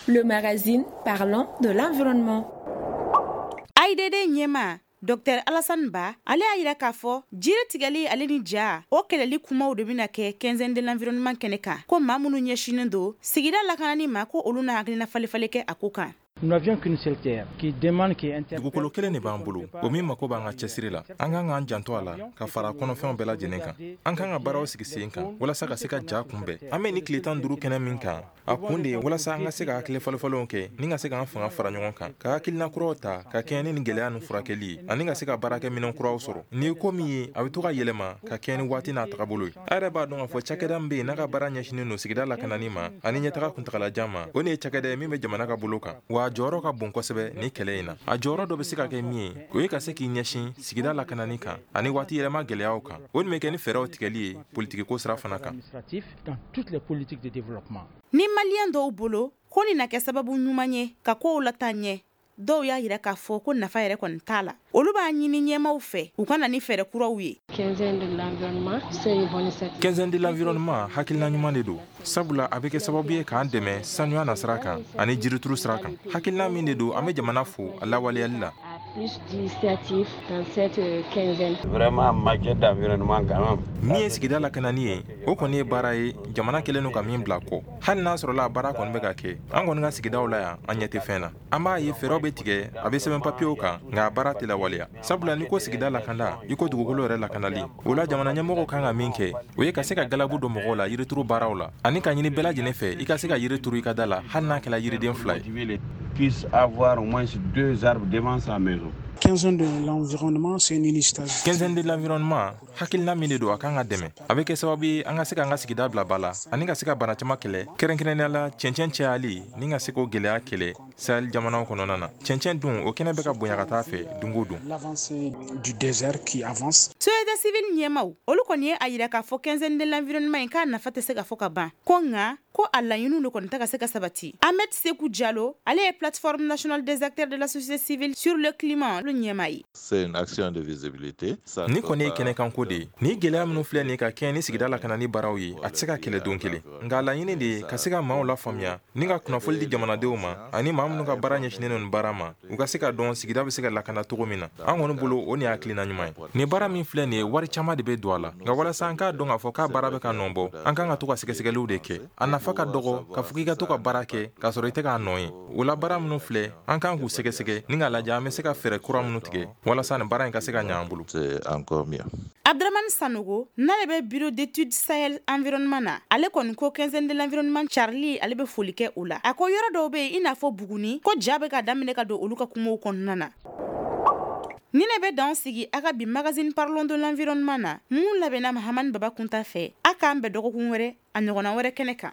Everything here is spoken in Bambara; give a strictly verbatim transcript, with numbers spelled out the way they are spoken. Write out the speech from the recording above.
Le magazine parlant de l'environnement. A I D D ɲɛma Docteur Alassane Ba, ale y'a yira k'a fɔ jiri tigɛli ale ni ja o kɛlɛli kumaw de bɛna kɛ Quinzaine de l'environnement kɛnɛ kan, ko maa minnu ɲɛsinen don sigida lakanani ma, ko olu na hakilina falifali kɛ a ko kan. Dugukolo kelen de b'an bolo, o min mako b'an ka cɛsiri la. An kan k'an janto a la ka fara kɔnɔfɛnw bɛɛ lajɛlen kan. An kan ka baaraw sigi sen kan walasa ka se ka ja kunbɛn. An bɛ ni tile tan duuru kɛnɛ min kan, a kun de ye walasa an ka se ka hakili fɔlɔfɔlɔw kɛ ni ka se k'an fanga fara ɲɔgɔn kan, ka hakilina kuraw ta ka kɛɲɛ ni nin gɛlɛya nin furakɛli ye, ani ka se ka baarakɛminɛn kuraw sɔrɔ. Nin ye ko min ye, a bɛ to ka yɛlɛma ka kɛɲɛ ni waati n'a tagabolo ye. A yɛrɛ b'a dɔn k'a fɔ cakɛda min bɛ yen n'a ka baara ɲɛsinnen don sigida lakanani ma ani ɲɛtaga kuntagalajan ma, o de ye cakɛda ye min bɛ jamana ka bolo kan, wa a jɔyɔrɔ ka bon kosɛbɛ ni kɛlɛ in na. A jɔyɔrɔ dɔ bɛ se ka kɛ min ye, o ye ka se k'i ɲɛsin sigida lakanani kan ani waati yɛlɛma gɛlɛyaw kan. O nin bɛ kɛ ni fɛɛrɛw tigɛli ye politikiko sira fana kan. Ni maliyɛn dɔw bolo ko nin na kɛ sababu ɲuman ye ka kow lataa ɲɛ, dɔw y'a yira k'a fɔ ko nafa yɛrɛ kɔni t'a la. Olu b'a ɲini ɲɛmaw fɛ u ka na ni fɛɛrɛ kuraw ye. Quinzaine de l'environnement, hakilina ɲuman de don, sabula a bɛ kɛ sababu ye k'an dɛmɛ sanuya na sira kan ani jirituru sira kan. Hakilina min de don, an bɛ jamana fo a lawaleyali la. Plus d'initiatives dans cette quinzaine. Vraiment, en matière d'environnement quand même. Min ye sigida lakanani ye, o kɔni ye baara ye jamana kɛlen don ka min bila kɔ. Hali n'a sɔrɔla a baara kɔni bɛ ka kɛ, an kɔni ka sigidaw la yan, an ɲɛ tɛ fɛn na. An b'a ye fɛɛrɛw bɛ tigɛ, a bɛ sɛbɛn papiyew kan, nka a baara tɛ lawaleya, sabula n'i ko sigida lakanda, i ko dugukolo yɛrɛ lakanali. O la, jamana ɲɛmɔgɔw kan ka min kɛ, o ye ka se ka galabu don mɔgɔw la yirituru baaraw la, ani ka ɲini bɛɛ lajɛlen fɛ i ka se ka yiri turu i ka da la, hali n'a kɛra yiriden fila ye. Puisse avoir au moins deux arbres devant sa maison. Quinzaine de l'environnement, c'est une initiative. Quinzaine de l'environnement, hakilina min de don, a kan ka dɛmɛ. A bɛ kɛ sababu ye an ka se k'an ka sigida bila ba la ani ka se ka bana caman kɛlɛ, kɛrɛnkɛrɛnnenya la cɛncɛn cayali, ni ka se k'o gɛlɛya kɛlɛ Sahel jamanaw kɔnɔna na. Cɛncɛn dun, o kɛnɛ bɛ ka bonya ka taa fɛ don o don. L'avancée du désert qui avance. Société civile ɲɛmaw, olu kɔni ye a yira k'a fɔ Quinzaine de l'environnement in k'a nafa tɛ se ka fɔ ka ban, ko nka ko a laɲiniw de kɔni tɛ ka se ka sabati. Ahmed Seku Jalo, ale ye Plateforme nationale des acteurs de la société civile sur le climat olu ɲɛma ye. C'est une action de visibilité. Ni kɔni ye kɛnɛkanko de ye, ni gɛlɛya minnu filɛ nin ka kɛɲɛ ni sigida lakanani baaraw ye, a tɛ se ka kɛlɛ don kelen, nka laɲini de ye ka se ka maaw lafaamuya ni ka kunnafoli di jamanadenw ma, ani maa minnu ka baara ɲɛsinnen don nin baara ma, u ka se ka dɔn sigida bɛ se ka lakana cogo min na. An kɔni bolo, o nin ye hakilina ɲuman ye. Nin baara min filɛ nin ye, wari caman de bɛ don a la, nka walasa an k'a dɔn k'a fɔ k'a baara bɛ ka nɔ bɔ, an kan ka to ka sɛgɛsɛgɛliw de kɛ. A nafa ka dɔgɔ k'a fɔ k'i ka to ka baara kɛ k'a sɔrɔ i tɛ k'a nɔ ye. O la, baara minnu filɛ, an kan k'u sɛgɛsɛgɛ ni k'a lajɛ an bɛ se ka fɛɛrɛ kura minnu tigɛ walasa nin baara in ka se ka ɲɛ an bolo. C'est encore mieux. Abdramane Sanogo, n'ale bɛ Bureau d'études Sahel environnement na, ale kɔni ko Quinzaine de l'environnement carili, ale bɛ foli kɛ o la. A ko yɔrɔ dɔw bɛ yen, i n'a fɔ Buguni, ko ja bɛ ka daminɛ ka don olu ka kumaw kɔnɔna na. Ni ne bɛ dan sigi a ka bi magazine Parlons de l'environnement na, mun labɛnna Mahamani Baba Kunta fɛ. A k'an bɛn dɔgɔkun wɛrɛ, a ɲɔgɔnna wɛrɛ kɛnɛ kan.